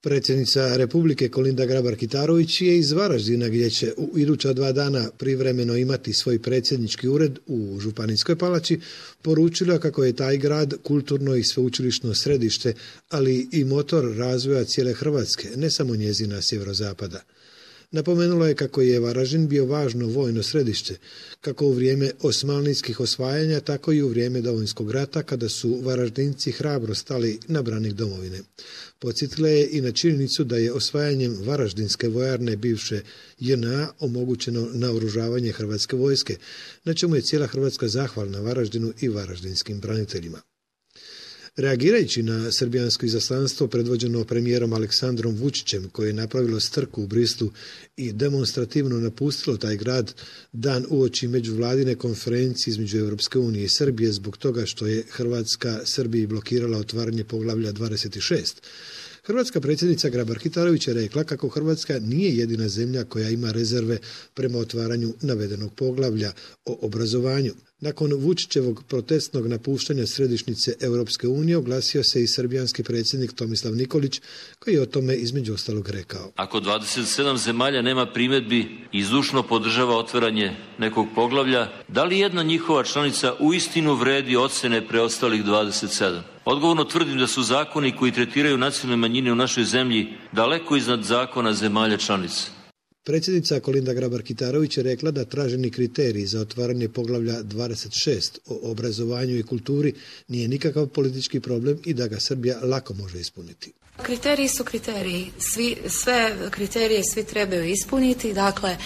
Predsjednica Republike Kolinda Grabar-Kitarović je iz Varaždina, gdje će u iduća 2 dana privremeno imati svoj predsjednički ured u Županijskoj palači, poručila kako je taj grad kulturno i sveučilišno središte, ali i motor razvoja cijele Hrvatske, ne samo njezina sjeverozapada. Napomenula je kako je Varaždin bio važno vojno središte, kako u vrijeme osmanlijskih osvajanja, tako i u vrijeme Domovinskog rata, kada su Varaždinci hrabro stali na branik domovine. Podsjetila je i na činjenicu da je osvajanjem Varaždinske vojarne bivše JNA omogućeno naoružavanje Hrvatske vojske, na čemu je cijela Hrvatska zahvalna Varaždinu i varaždinskim braniteljima. Reagirajući na srbijansko izaslanstvo predvođeno premijerom Aleksandrom Vučićem, koje je napravilo strku u Brislu i demonstrativno napustilo taj grad dan uoči međuvladine konferencije između Europske unije i Srbije zbog toga što je Hrvatska Srbiji blokirala otvaranje poglavlja 26, hrvatska predsjednica Grabar-Kitarović je rekla kako Hrvatska nije jedina zemlja koja ima rezerve prema otvaranju navedenog poglavlja o obrazovanju. Nakon Vučićevog protestnog napuštanja središnjice Europske unije oglasio se i srbijanski predsjednik Tomislav Nikolić, koji je o tome između ostalog rekao. Ako 27 zemalja nema primjedbi i zdušno podržava otvaranje nekog poglavlja, da li jedna njihova članica uistinu vredi ocjene preostalih 27? Odgovorno tvrdim da su zakoni koji tretiraju nacionalne manjine u našoj zemlji daleko iznad zakona zemalja članica. Predsjednica Kolinda Grabar-Kitarović je rekla da traženi kriterij za otvaranje poglavlja 26 o obrazovanju i kulturi nije nikakav politički problem i da ga Srbija lako može ispuniti. Kriteriji su kriteriji. Sve kriterije svi trebaju ispuniti. Dakle,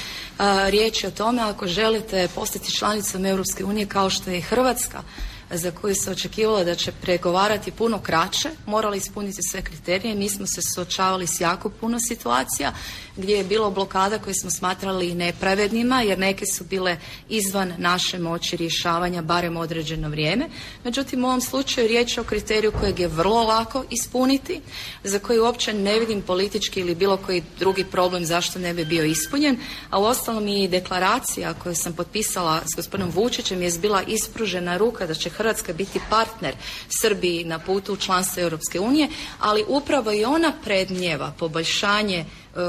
riječ je o tome ako želite postati članicom Europske unije kao što je Hrvatska, za koju se očekivalo da će pregovarati puno kraće, morali ispuniti sve kriterije. Mi smo se suočavali s jako puno situacija gdje je bilo blokada koje smo smatrali nepravednima, jer neke su bile izvan naše moći rješavanja barem određeno vrijeme. Međutim, u ovom slučaju riječ je o kriteriju kojeg je vrlo lako ispuniti, za koji uopće ne vidim politički ili bilo koji drugi problem zašto ne bi bio ispunjen, a uostalom i deklaracija koju sam potpisala s gospodinom Vučićem je bila ispružena ruka da će Hrvatska biti partner Srbiji na putu u članstvo Europske unije, ali upravo i ona predmnijeva poboljšanje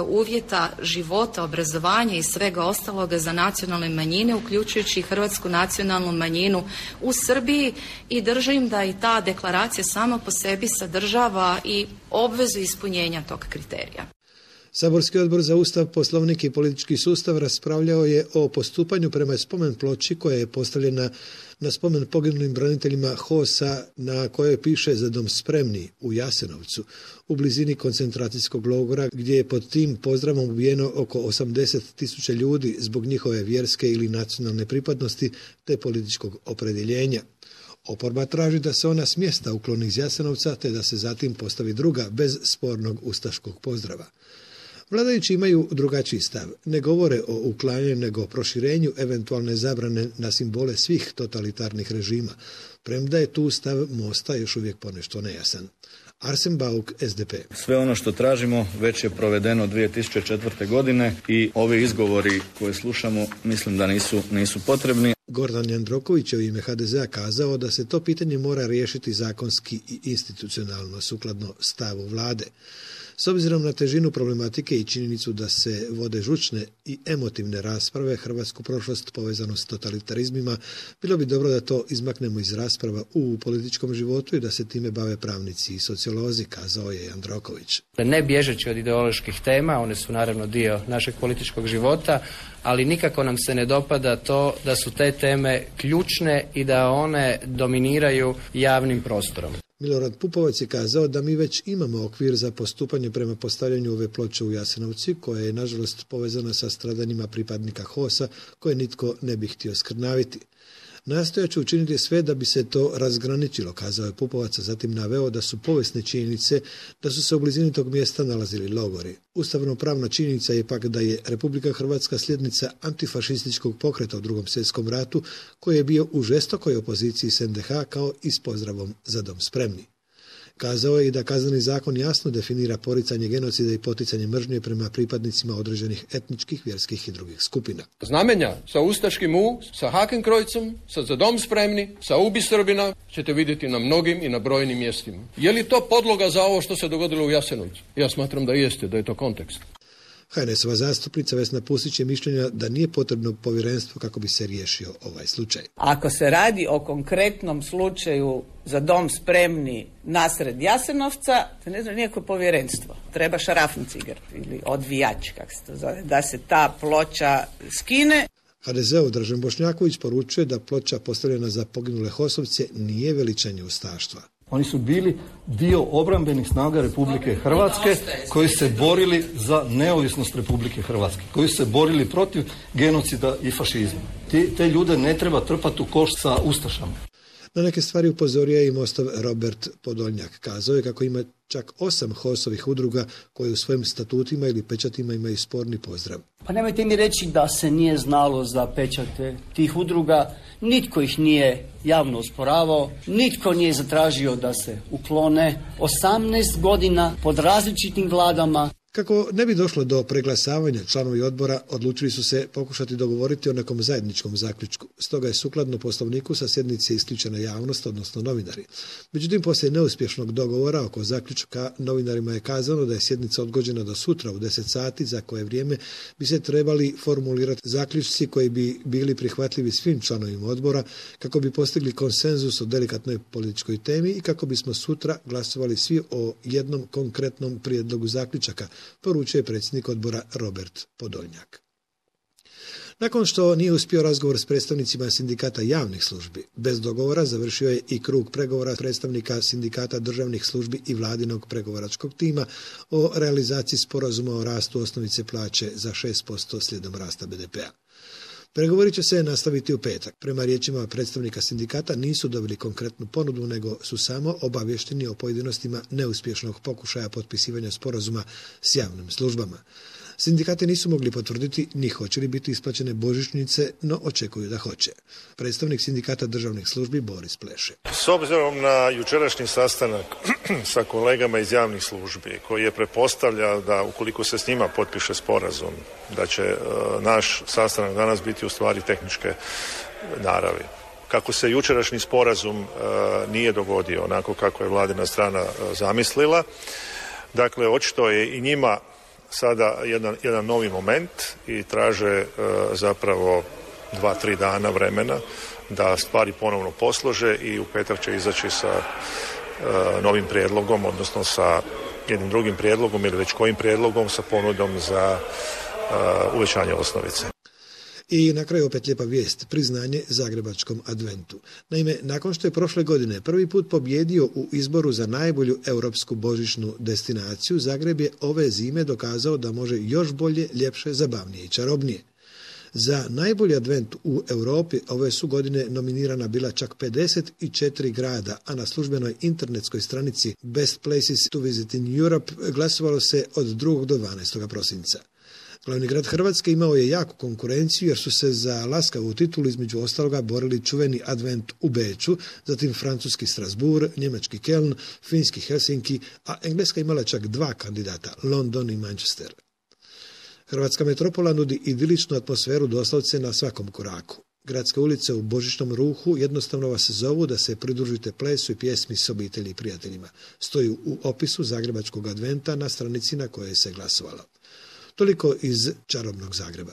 uvjeta života, obrazovanja i svega ostaloga za nacionalne manjine, uključujući i hrvatsku nacionalnu manjinu u Srbiji, i držim da i ta deklaracija sama po sebi sadržava i obvezu ispunjenja tog kriterija. Saborski odbor za Ustav, Poslovnik i politički sustav raspravljao je o postupanju prema spomen ploči koja je postavljena na spomen poginulim braniteljima HOS-a na kojoj piše "Za dom spremni" u Jasenovcu, u blizini koncentracijskog logora, gdje je pod tim pozdravom ubijeno oko 80.000 ljudi zbog njihove vjerske ili nacionalne pripadnosti te političkog opredjeljenja. Oporba traži da se ona s mjesta ukloni iz Jasenovca te da se zatim postavi druga bez spornog ustaškog pozdrava. Vladajući imaju drugačiji stav. Ne govore o uklanjanju nego o proširenju eventualne zabrane na simbole svih totalitarnih režima, premda je tu stav Mosta još uvijek ponešto nejasan. Arsen Bauk, SDP. Sve ono što tražimo već je provedeno 2004. godine i ovi izgovori koje slušamo mislim da nisu potrebni. Gordan Jandroković je u ime HDZ-a kazao da se to pitanje mora riješiti zakonski i institucionalno sukladno stavu vlade. S obzirom na težinu problematike i činjenicu da se vode žučne i emotivne rasprave, hrvatsku prošlost povezanu s totalitarizmima, bilo bi dobro da to izmaknemo iz rasprava u političkom životu i da se time bave pravnici i sociolozi, kazao je Jandroković. Ne bježeći od ideoloških tema, one su naravno dio našeg političkog života, ali nikako nam se ne dopada to da su te teme ključne i da one dominiraju javnim prostorom. Milorad Pupovac je kazao da mi već imamo okvir za postupanje prema postavljanju ove ploče u Jasenovci, koja je nažalost povezana sa stradanjima pripadnika HOS-a koje nitko ne bi htio skrnaviti. Nastojat ću učiniti sve da bi se to razgraničilo, kazao je Pupovac, a zatim naveo da su povijesne činjenice da su se u blizini tog mjesta nalazili logori. Ustavno-pravna činjenica je pak da je Republika Hrvatska sljednica antifašističkog pokreta u Drugom svjetskom ratu, koji je bio u žestokoj opoziciji s NDH kao i s pozdravom "Za dom spremni". Kazao je i da kazneni zakon jasno definira poricanje genocida i poticanje mržnje prema pripadnicima određenih etničkih, vjerskih i drugih skupina. Znamenja sa ustaškim U, sa Hakenkrojcem, sa Za dom spremni, sa Ubi Srbina ćete vidjeti na mnogim i na brojnim mjestima. Je li to podloga za ovo što se dogodilo u Jasenovcu? Ja smatram da jeste, da je to kontekst. HNS-ova zastupnica Vesna Pusić je mišljenja da nije potrebno povjerenstvo kako bi se riješio ovaj slučaj. Ako se radi o konkretnom slučaju Za dom spremni nasred Jasenovca, to ne znam nijako povjerenstvo. Treba šarafenciger ili odvijač, kako se to zove, da se ta ploča skine. HDZ-ov Dražen Bošnjaković poručuje da ploča postavljena za poginule HOS-ovce nije veličanje ustaštva. Oni su bili dio obrambenih snaga Republike Hrvatske koji se borili za neovisnost Republike Hrvatske, koji su se borili protiv genocida i fašizma. Te ljude ne treba trpati u koš sa ustašama. Na neke stvari upozorio je i Mostov Robert Podolnjak. Kazao je kako ima čak 8 HOS-ovih udruga koje u svojim statutima ili pečatima imaju sporni pozdrav. Pa nemojte mi reći da se nije znalo za pečate tih udruga, nitko ih nije javno osporavao, nitko nije zatražio da se uklone. 18 godina pod različitim vladama. Kako ne bi došlo do preglasavanja, članovi odbora odlučili su se pokušati dogovoriti o nekom zajedničkom zaključku. Stoga je sukladno Poslovniku sa sjednice isključena javnost, odnosno novinari. Međutim, poslije neuspješnog dogovora oko zaključka, novinarima je kazano da je sjednica odgođena do sutra u 10 sati, za koje vrijeme bi se trebali formulirati zaključci koji bi bili prihvatljivi svim članovima odbora, kako bi postigli konsenzus o delikatnoj političkoj temi i kako bismo sutra glasovali svi o jednom konkretnom prijedlogu zaključaka, poručuje predsjednik odbora Robert Podolnjak. Nakon što nije uspio razgovor s predstavnicima sindikata javnih službi, bez dogovora završio je i krug pregovora predstavnika sindikata državnih službi i vladinog pregovaračkog tima o realizaciji sporazuma o rastu osnovice plaće za 6% slijedom rasta BDP-a. Pregovori će se nastaviti u petak. Prema riječima predstavnika sindikata nisu dobili konkretnu ponudu, nego su samo obavješteni o pojedinostima neuspješnog pokušaja potpisivanja sporazuma s javnim službama. Sindikati nisu mogli potvrditi ni hoće li biti isplaćene božićnice, no očekuju da hoće. Predstavnik sindikata državnih službi Boris Pleše. S obzirom na jučerašnji sastanak sa kolegama iz javnih službi, koji je pretpostavlja da ukoliko se s njima potpiše sporazum, da će naš sastanak danas biti u stvari tehničke naravi. Kako se jučerašnji sporazum nije dogodio onako kako je vladina strana zamislila, dakle očito je i njima sada jedan novi moment i traže zapravo 2-3 dana vremena da stvari ponovno poslože i u petak će izaći sa novim prijedlogom, odnosno sa jednim drugim prijedlogom ili već kojim prijedlogom sa ponudom za uvećanje osnovice. I na kraju opet lijepa vijest, priznanje Zagrebačkom adventu. Naime, nakon što je prošle godine prvi put pobjedio u izboru za najbolju europsku božićnu destinaciju, Zagreb je ove zime dokazao da može još bolje, ljepše, zabavnije i čarobnije. Za najbolji advent u Europi ove su godine nominirana bila čak 54 grada, a na službenoj internetskoj stranici Best Places to Visit in Europe glasovalo se od 2. do 12. prosinca. Glavni grad Hrvatske imao je jaku konkurenciju jer su se za laskavu titulu između ostaloga borili čuveni advent u Beču, zatim francuski Strasbourg, njemački Keln, finski Helsinki, a Engleska imala čak 2 kandidata, London i Manchester. Hrvatska metropola nudi idiličnu atmosferu doslovce na svakom koraku. Gradske ulice u božićnom ruhu jednostavno vas zovu da se pridružite plesu i pjesmi s obitelji i prijateljima. Stoji u opisu Zagrebačkog adventa na stranici na kojoj se glasovalo. Toliko iz čarobnog Zagreba.